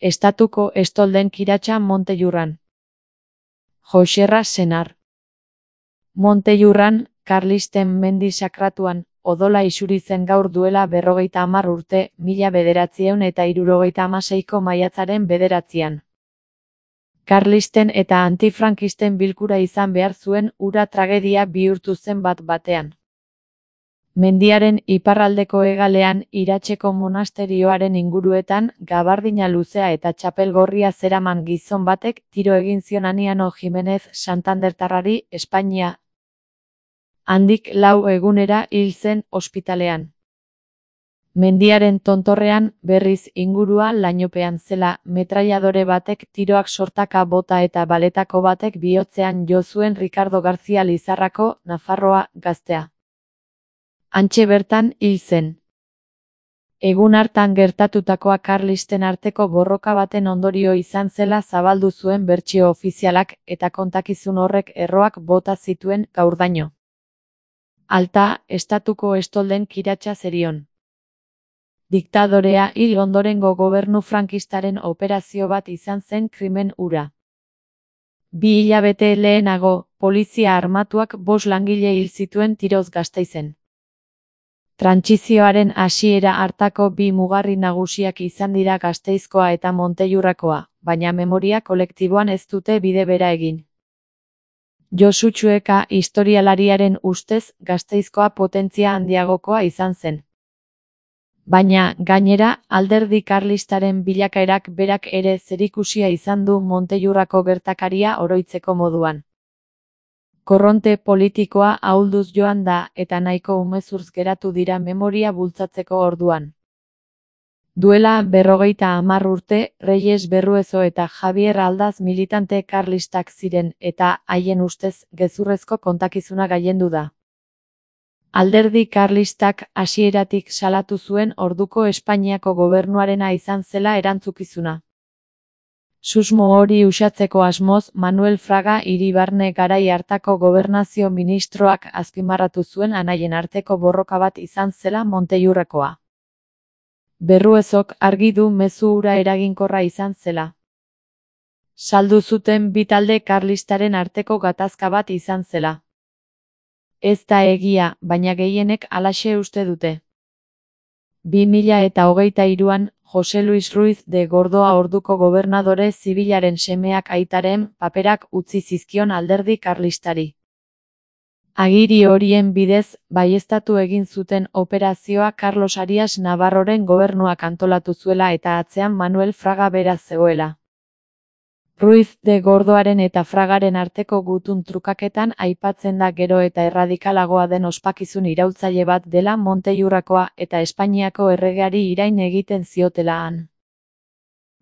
Estatuko estolden kiratsa Montellurran. Joxerra senar. Montellurran, Karlisten mendi sakratuan, odola isuri zen gaur duela 50 urte, 1976ko maiatzaren 9. Karlisten eta antifrankisten bilkura izan behar zuen hura tragedia bihurtu zen bat-batean. Mendiaren iparraldeko hegalean Iratzeko monasterioaren inguruetan gabardina luzea eta txapel gorria zeraman gizon batek tiro egin zion Aniano Jimenez Santandertarrari Espainia. Handik 4 egunera hil zen ospitalean. Mendiaren tontorrean, berriz ingurua lainopean zela, metrailadore batek tiroak sortaka bota eta baletako batek bihotzean jo zuen Ricardo García Lizarrako, Nafarroa, gaztea. Hantxe bertan hil zen. Egun hartan gertatutakoa Karlisten arteko borroka baten ondorio izan zela zabaldu zuen bertsio ofizialak eta kontakizun horrek erroak bota zituen gaurdaino. Alta, estatuko estolden kiratsa zerion. Diktadorea hil ondorengo gobernu frankistaren operazio bat izan zen krimen hura. 2 hilabete lehenago, polizia armatuak 5 langile hil zituen tiroz Gasteizen. Trantsizioaren hasiera hartako 2 mugarri nagusiak izan dira Gasteizkoa eta Montellurrakoa, baina memoria kolektiboan ez dute bide bera egin. Josu Txueka historialariaren ustez Gasteizkoa potentzia handiagokoa izan zen. Baina, gainera, alderdi karlistaren bilakaerak berak ere zerikusia izan du Montellurrako gertakaria oroitzeko moduan. Korronte politikoa ahulduz joan da eta nahiko umezurtz geratu dira memoria bultzatzeko orduan. Duela 50 urte, Reyes Berruezo eta Javier Aldaz militante karlistak ziren eta, haien ustez, gezurrezko kontakizuna gailendu da. Alderdi karlistak hasieratik salatu zuen orduko Espainiako gobernuarena izan zela erantzukizuna. Susmo hori uxatzeko asmoz, Manuel Fraga Iribarne garai hartako gobernazio ministroak azpimarratu zuen anaien arteko borroka bat izan zela Montellurrakoa. Berruezok argi du mezu hura eraginkorra izan zela. Saldu zuten bi talde karlistaren arteko gatazka bat izan zela. Ez da egia, baina gehienek halaxe uste dute. 2023an, Jose Luis Ruiz de Gordoa orduko gobernadore zibilaren semeak aitaren paperak utzi zizkion alderdi karlistari. Agiri horien bidez, baieztatu egin zuten operazioa Carlos Arias Navarroren gobernuak antolatu zuela eta atzean Manuel Fraga bera zegoela. Ruiz de Gordoaren eta Fragaren arteko gutun trukaketan aipatzen da gero eta erradikalagoa den ospakizun iraultzaile bat dela Montellurrakoa eta Espainiako erregeari irain egiten ziotela han.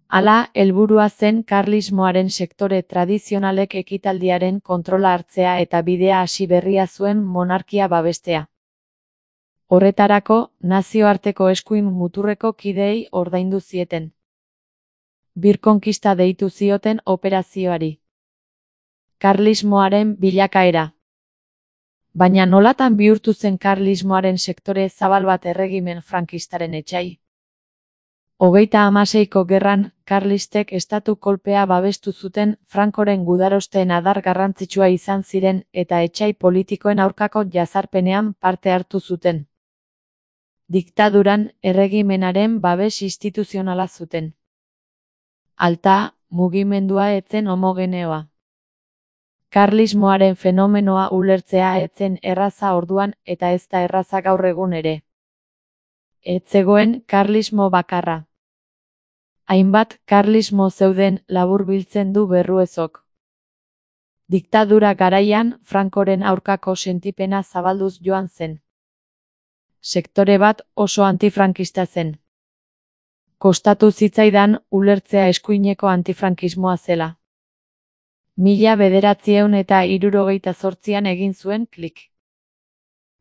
Hala, helburua zen karlismoaren sektore tradizionalek ekitaldiaren kontrola hartzea eta bidea hasi berria zuen monarkia babestea. Horretarako, nazioarteko eskuin muturreko kideei ordaindu zieten. Birkonkista deitu zioten operazioari. Karlismoaren bilakaera. Baina nolatan bihurtu zen karlismoaren sektore zabal bat erregimen frankistaren etsai? 36ko gerran, karlistek estatu kolpea babestu zuten Frankoren gudarosteen adar garrantzitsua izan ziren eta etsai politikoen aurkako jazarpenean parte hartu zuten. Diktaduran, erregimenaren babes instituzionala zuten. Alta, mugimendua etzen homogeneoa. Karlismoaren fenomenoa ulertzea etzen erraza orduan eta ez da erraza gaur egun ere. Ez zegoen karlismo bakarra. Hainbat karlismo zeuden laburbiltzen du Berruezok. Diktadura garaian, Frankoren aurkako sentipena zabalduz joan zen. Sektore bat oso antifrankista zen. Kostatu zitzaidan ulertzea eskuineko antifrankismoa zela. 1978an egin zuen klik.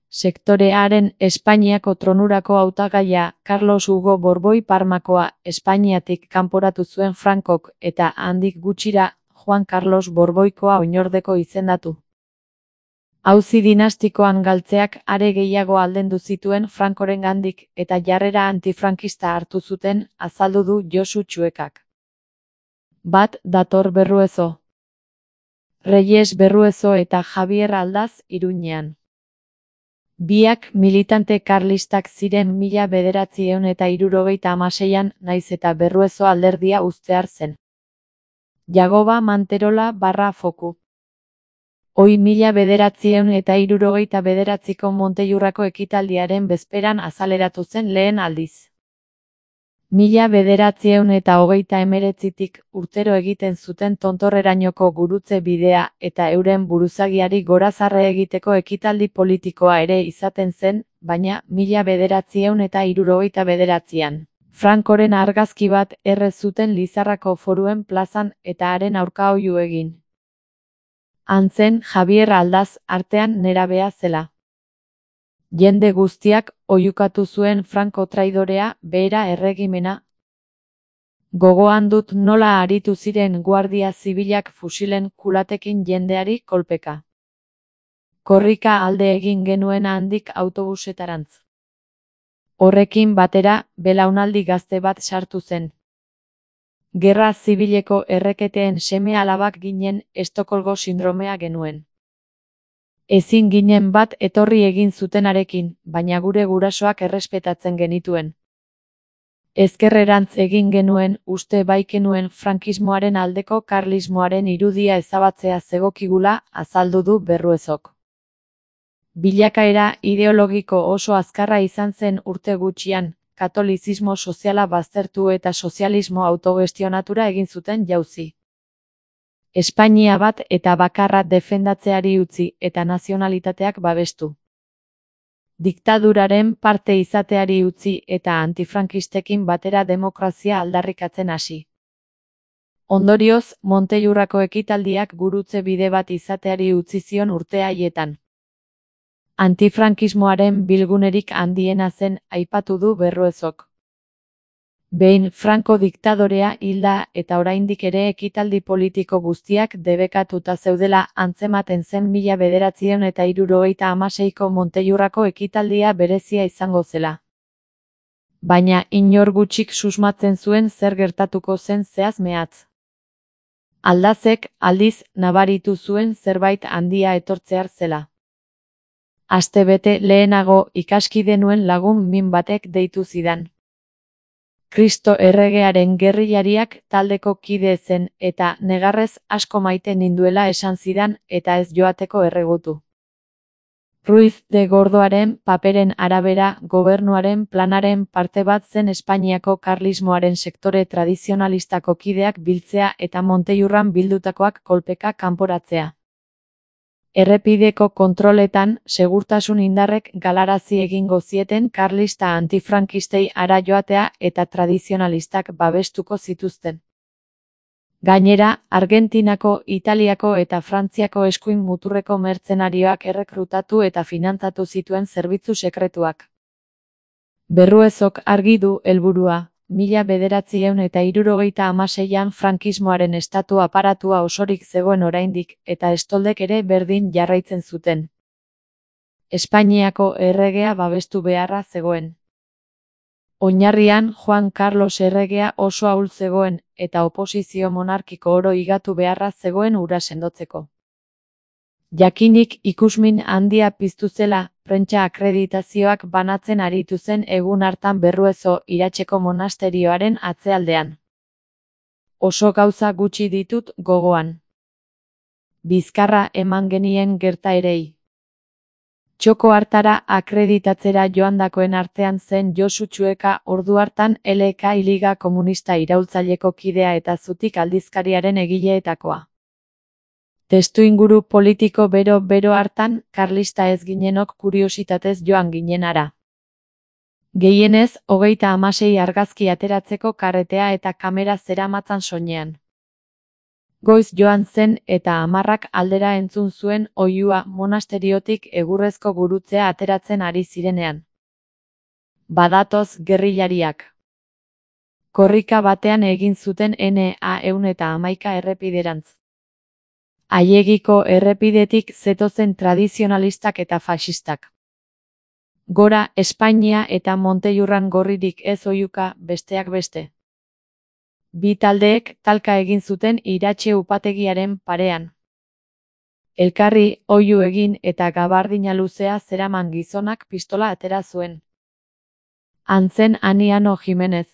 Sektorearen Espainiako tronurako hautagaia Carlos Hugo Borboi Parmakoa Espainiatik kanporatu zuen Frankok eta handik gutxira Juan Carlos Borboikoa oinordeko izendatu. Auzi dinastikoan galtzeak are gehiago aldendu zituen Frankorengandik eta jarrera antifrankista hartu zuten, azaldu du Josu Txuekak. Bat dator Berruezo. Reyes Berruezo eta Javier Aldaz Iruñean. Biak militante karlistak ziren 1976an naiz eta Berruezo alderdia uztear zen. Jagoba Manterola / Foku. Hoi 1979ko Montellurrako ekitaldiaren bezperan azaleratu zen lehen aldiz. 1989tik urtero egiten zuten tontorrerainoko gurutze bidea eta euren buruzagiari gorazarre egiteko ekitaldi politikoa ere izaten zen, baina 1979an. Francoren argazki bat erre zuten Lizarrako Foruen plazan eta haren aurka oihu egin. Antzen Javier Aldaz artean nerabea zela. Jende guztiak oihukatu zuen Franco traidorea, behera erregimena. Gogoan dut nola aritu ziren guardia zibilak fusilen kulatekin jendeari kolpeka. Korrika alde egin genuen handik autobusetarantz. Horrekin batera, belaunaldi gazte bat sartu zen. Gerra zibileko erreketeen seme-alabak ginen, Estokolgo sindromea genuen. Ezin ginen bat etorri egin zutenarekin, baina gure gurasoak errespetatzen genituen. Ezkerrerantz egin genuen, uste baikenuen frankismoaren aldeko karlismoaren irudia ezabatzea zegokigula, azaldu du Berruezok. Bilakaera ideologiko oso azkarra izan zen urte gutxian, katolizismo soziala baztertu eta sozialismo autogestionatura egin zuten jauzi. Espainia bat eta bakarra defendatzeari utzi eta nazionalitateak babestu. Diktaduraren parte izateari utzi eta antifrankistekin batera demokrazia aldarrikatzen hasi. Ondorioz, Montellurrako ekitaldiak gurutze bide bat izateari utzi zion urte haietan. Antifrankismoaren bilgunerik handiena zen, aipatu du Berruezok. Behin Franco diktadorea hilda eta oraindik ere ekitaldi politiko guztiak debekatuta zeudela antzematen zen 1976ko Montellurrako ekitaldia berezia izango zela. Baina inor gutxik susmatzen zuen zer gertatuko zen zehaz mehatz. Aldazek, aldiz, nabaritu zuen zerbait handia etortzear zela. Astebete lehenago ikaskide nuen lagun min batek deitu zidan. Kristo erregearen gerrillariak taldeko kide zen eta negarrez asko maite ninduela esan zidan eta ez joateko erregutu. Ruiz de Gordoaren paperen arabera gobernuaren planaren parte bat zen Espainiako karlismoaren sektore tradizionalistako kideak biltzea eta Montellurran bildutakoak kolpeka kanporatzea. Errepideko kontroletan, segurtasun indarrek galarazi egingo zieten karlista antifrankistei hara joatea eta tradizionalistak babestuko zituzten. Gainera, Argentinako, Italiako eta Frantziako eskuin muturreko mertzenarioak errekrutatu eta finantzatu zituen zerbitzu sekretuak. Berruezok argi du helburua. 1976an frankismoaren estatu aparatua osorik zegoen oraindik, eta estoldek ere berdin jarraitzen zuten. Espainiako erregea babestu beharra zegoen. Oinarrian Juan Carlos erregea oso ahul zegoen, eta oposizio monarkiko oro higatu beharra zegoen hura sendotzeko. Jakinik ikusmin handia piztu zela, prentsa akreditazioak banatzen aritu zen egun hartan Berruezo Iratzeko monasterioaren atzealdean. Oso gauza gutxi ditut gogoan. Bizkarra eman genien gertaerei. Txoko hartara akreditatzera joandakoen artean zen Josu Txueka, ordu hartan LK Liga Komunista iraultzaileko kidea eta Zutik aldizkariaren egileetakoa. Testuinguru politiko bero hartan, karlista ez ginenok kuriositatez joan ginen hara. Gehienez, 36 argazki ateratzeko karretea eta kamera zeramatzan soinean. Goiz joan zen eta 10 aldera entzun zuen oihua monasteriotik egurrezko gurutzea ateratzen ari zirenean. Badatoz gerrillariak. Korrika batean egin zuten NA111 errepiderantz. Aiegiko errepidetik zetozen tradizionalistak eta faxistak. Gora Espainia eta Montellurran gorririk ez oihuka, besteak beste. Bi taldeek talka egin zuten iratxe upategiaren parean. Elkarri oihu egin eta gabardina luzea zeraman gizonak pistola atera zuen. Antzen Aniano Jimenez.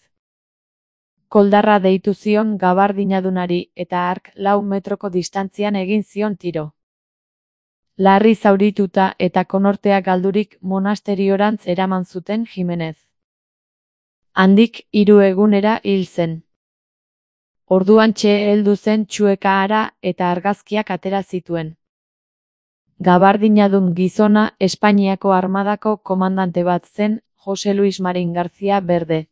Koldarra deitu zion gabardinadunari eta hark 4 metroko distantzian egin zion tiro. Larri zaurituta eta konortea galdurik monasteriorantz eraman zuten Jimenez. Handik 3 egunera hil zen. Orduantxe heldu zen Txueka hara eta argazkiak atera zituen. Gabardinadun gizona Espainiako armadako komandante bat zen, Jose Luis Marin García Berde.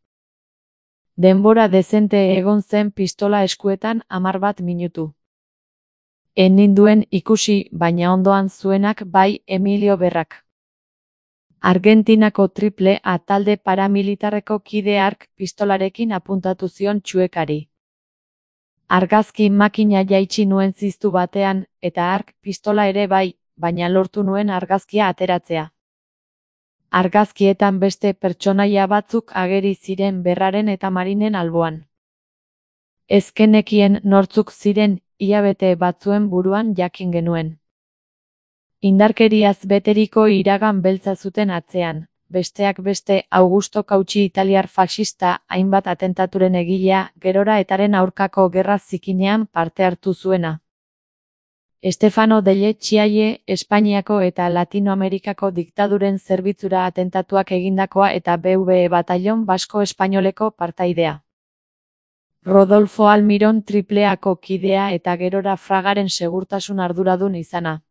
Denbora dezente egon zen pistola eskuetan 11 minutu. Ez ninduen ikusi, baina ondoan zuenak bai Emilio Berrak. Argentinako Triple A talde paramilitarreko kide hark pistolarekin apuntatu zion Txuekari. Argazki makina jaitsi nuen ziztu batean, eta hark pistola ere bai, baina lortu nuen argazkia ateratzea. Argazkietan beste pertsonaia batzuk ageri ziren Berraren eta Marinen alboan. Ez genekien nortzuk ziren, hilabete batzuen buruan jakin genuen. Indarkeriaz beteriko iragan beltza zuten atzean. Besteak beste Augusto Cauchy italiar faxista, hainbat atentaturen egilea, gerora etaren aurkako gerra zikinean parte hartu zuena. Stefano Delle Chiaie, Espainiako eta Latinoamerikako diktaduren zerbitzura atentatuak egindakoa eta BVE Batallon Basko Espainoleko partaidea. Rodolfo Almiron Tripleako kidea eta gerora Fragaren segurtasun arduradun izana.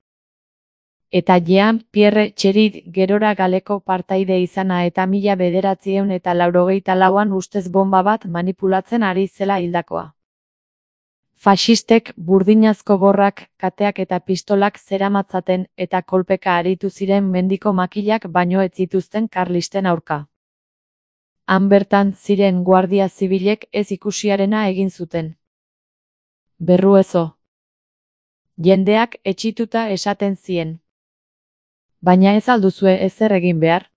Eta Jean-Pierre Txerit gerora Galeko partaide izana eta 1984an ustez bomba bat manipulatzen ari zela hildakoa. Faxistek burdinazko gorrak, kateak eta pistolak zeramatzaten eta kolpeka aritu ziren mendiko makilak baino ez zituzten karlisten aurka. Han bertan ziren guardia zibilek ez ikusiarena egin zuten. Berruezo. Jendeak etxituta esaten zien. Baina ez alduzue ezer egin behar.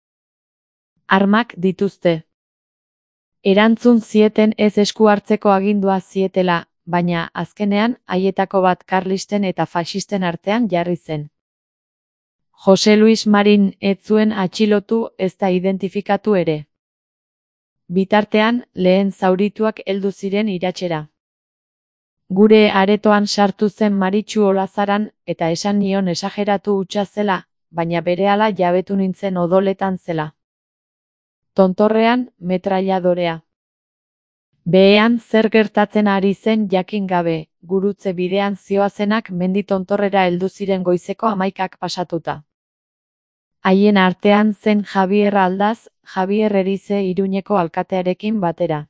Armak dituzte. Erantzun zieten ez esku hartzeko agindua zietela, baina azkenean haietako bat karlisten eta faxisten artean jarri zen. Jose Luis Marin ez zuen atxilotu ezta identifikatu ere. Bitartean, lehen zaurituak heldu ziren iratxera. Gure aretoan sartu zen Maritxu Olazaran eta esan nion esageratu hutsa zela, baina berehala jabetu nintzen odoletan zela. Tontorrean, metrailadorea. Behean zer gertatzen ari zen jakin gabe, gurutze bidean zihoazenak mendi tontorrera heldu ziren goizeko 11ak pasatuta. Haien artean zen Javier Aldaz, Javier Erize Iruñeko alkatearekin batera.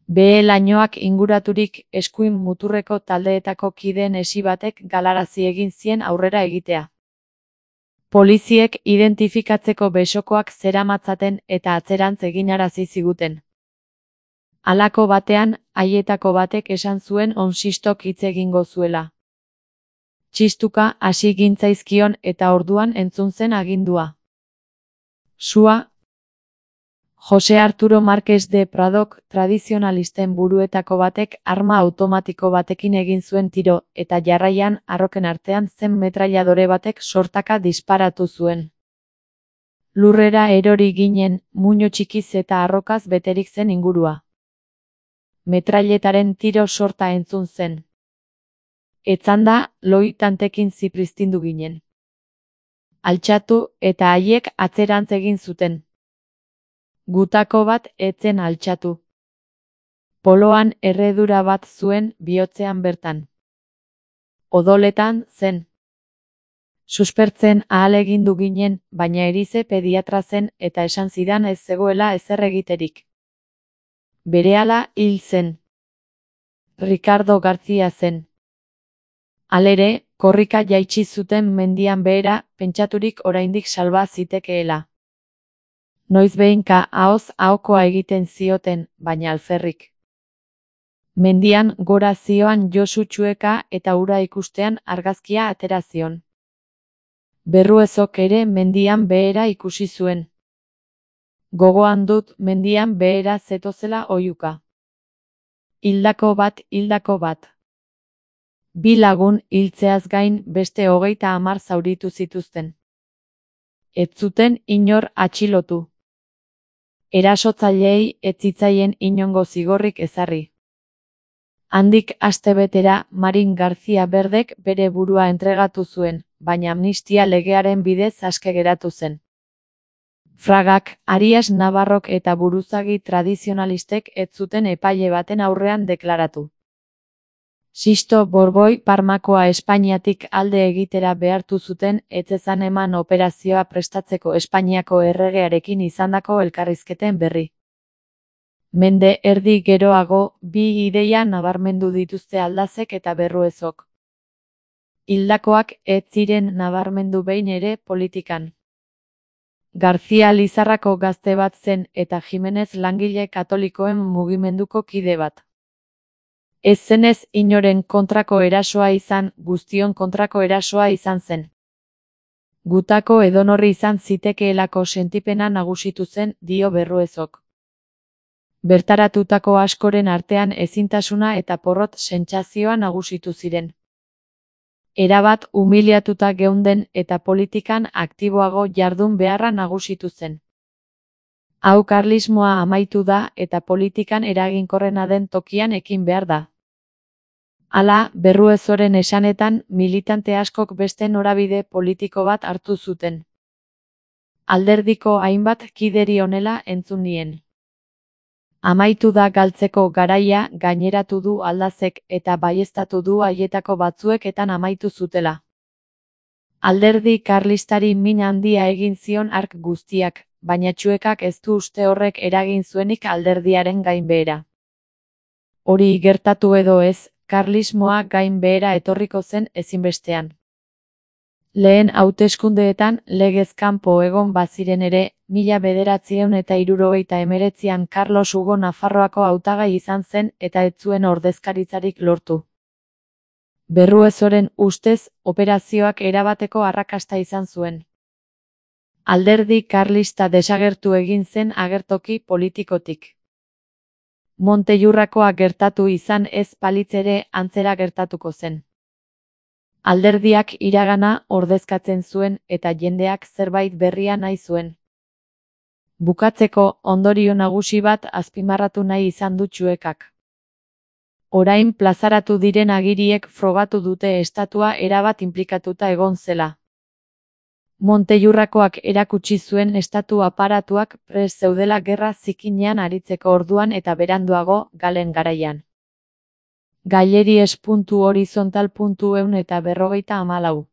Behe lainoak inguraturik eskuin muturreko taldeetako kideen esi batek galarazi egin zien aurrera egitea. Poliziek identifikatzeko besokoak zeramatzaten eta atzerantz eginarazi ziguten. Halako batean, haietako batek esan zuen onsistok hitz egingo zuela. Txistuka hasi gintzaizkion eta orduan entzun zen agindua. Sua. Jose Arturo Márquez de Pradok, tradizionalisten buruetako batek arma automatiko batekin egin zuen tiro, eta jarraian arroken artean zen metrailadore batek sortaka disparatu zuen. Lurrera erori ginen, muino txikiz eta arrokaz beterik zen ingurua. Metrailetaren tiro sorta entzun zen. Etzanda, loi tantekin zipriztindu ginen. Altxatu eta haiek atzerantz egin zuten. Gutako bat etzen altxatu. Poloan erredura bat zuen bihotzean bertan. Odoletan zen. Suspertzen ahalegindu ginen, baina Erize pediatra zen eta esan zidan ez zegoela ezer egiterik. Berehala hil zen. Ricardo García zen. Halere, korrika jaitsi zuten mendian behera, pentsaturik oraindik salba zitekeela. Noiz behinka ahoz ahokoa egiten zioten, baina alferrik. Mendian gora zioan Josu Txueka eta ura ikustean argazkia atera zion. Berruezok ere mendian behera ikusi zuen. Gogoan dut mendian behera zetozela oihuka. Hildako bat. 2 lagun hiltzeaz gain beste 30 zauritu zituzten. Ez zuten inor atxilotu. Erasotzaileei ez zitzaien inongo zigorrik ezarri. Handik astebetera Marin García Berdek bere burua entregatu zuen, baina amnistia legearen bidez aske geratu zen. Fragak, Arias Navarrok eta buruzagi tradizionalistek ez zuten epaile baten aurrean deklaratu. Sisto Borboi Parmakoa Espainiatik alde egitera behartu zuten ez zezan eman operazioa prestatzeko Espainiako erregearekin izandako elkarrizketen berri. Mende erdi geroago, 2 ideia nabarmendu dituzte Aldazek eta Berruezok. Hildakoak ez ziren nabarmendu behin ere politikan. García Lizarrako gazte bat zen eta Jimenez langile katolikoen mugimenduko kide bat. Ez zenez inoren kontrako erasoa izan, guztion kontrako erasoa izan zen. Gutako edonorri izan zitekeelako sentipena nagusitu zen, dio Berruezok. Bertaratutako askoren artean ezintasuna eta porrot sentsazioa nagusitu ziren. Erabat umiliatuta geunden eta politikan aktiboago jardun beharra nagusitu zen. Hau karlismoa amaitu da eta politikan eraginkorrena den tokian ekin behar da. Hala, Berruezoren esanetan, militante askok beste norabide politiko bat hartu zuten. Alderdiko hainbat kideri honela entzun nien. Amaitu da galtzeko garaia, gaineratu du Aldazek eta baieztatu du haietako batzueketan amaitu zutela. Alderdi karlistari min handia egin zion hark guztiak, baina Txuekak ez du uste horrek eragin zuenik alderdiaren gainbehera. Hori gertatu edo ez, karlismoa gainbehera etorriko zen ezinbestean. Lehen hauteskundeetan legez kanpo egon baziren ere, 1979an Carlos Hugo Nafarroako hautagai izan zen eta ez zuen ordezkaritzarik lortu. Berruezoren ustez, operazioak erabateko arrakasta izan zuen. Alderdi karlista desagertu egin zen agertoki politikotik. Montellurrakoa gertatu izan ez balitz ere antzera gertatuko zen. Alderdiak iragana ordezkatzen zuen eta jendeak zerbait berria nahi zuen. Bukatzeko, ondorio nagusi bat azpimarratu nahi izan du Txuekak. Orain plazaratu diren agiriek frogatu dute estatua erabat inplikatuta egon zela. Montellurrakoak erakutsi zuen estatu aparatuak prest zeudela gerra zikinean aritzeko orduan eta beranduago, Galen garaian. Gaileries.horizontal.ehun eta 54